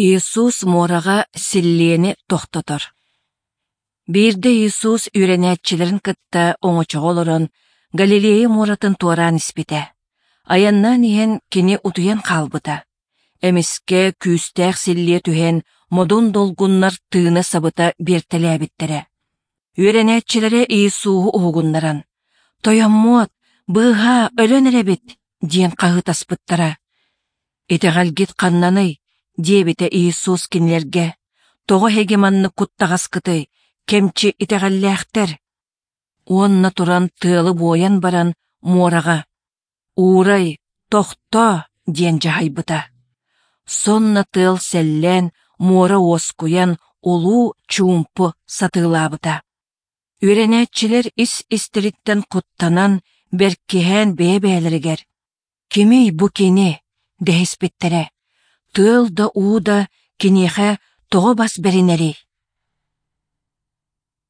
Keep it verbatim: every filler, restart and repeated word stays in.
Иисус муораҕа силлиэни тохтотор. Биирдэ Иисус үөрэнээччилэрин кытта оҥочоҕо олорон Галилея муоратын туораан испитэ. Айаннаан иһэн Кини утуйан хаалбыта. Эмискэ күүстээх силлиэ түһэн, модун долгуннар тыына сабыта биэртэлээбиттэрэ. Үөрэнээччилэрэ Иисуһу уһугуннаран: «Тойоммуот, быыһаа, өлөн эрэбит!» диэн хаһыытаспыттара. «Итэҕэлгит ханнаный?» диэбитэ Иисус кинилэргэ. «Тоҕо эһиги маннык куттаҕаскытый, кэмчи итэҕэллээхтэр?» Уонна туран тыалы буойан баран муораҕа: «Уурай, тохтоо!» диэн дьаһайбыта. Сонно тыал сэллээн, муора уоскуйан, улуу чуумпу сатыылаабыта. Үөрэнээччилэр ис-истэриттэн куттанан, бэркиһээн бэйэ-бэйэлэригэр: «Кимий бу кини?» дэһиспиттэрэ. Тыал да уу да киниэхэ тоҕо бас бэринэрий?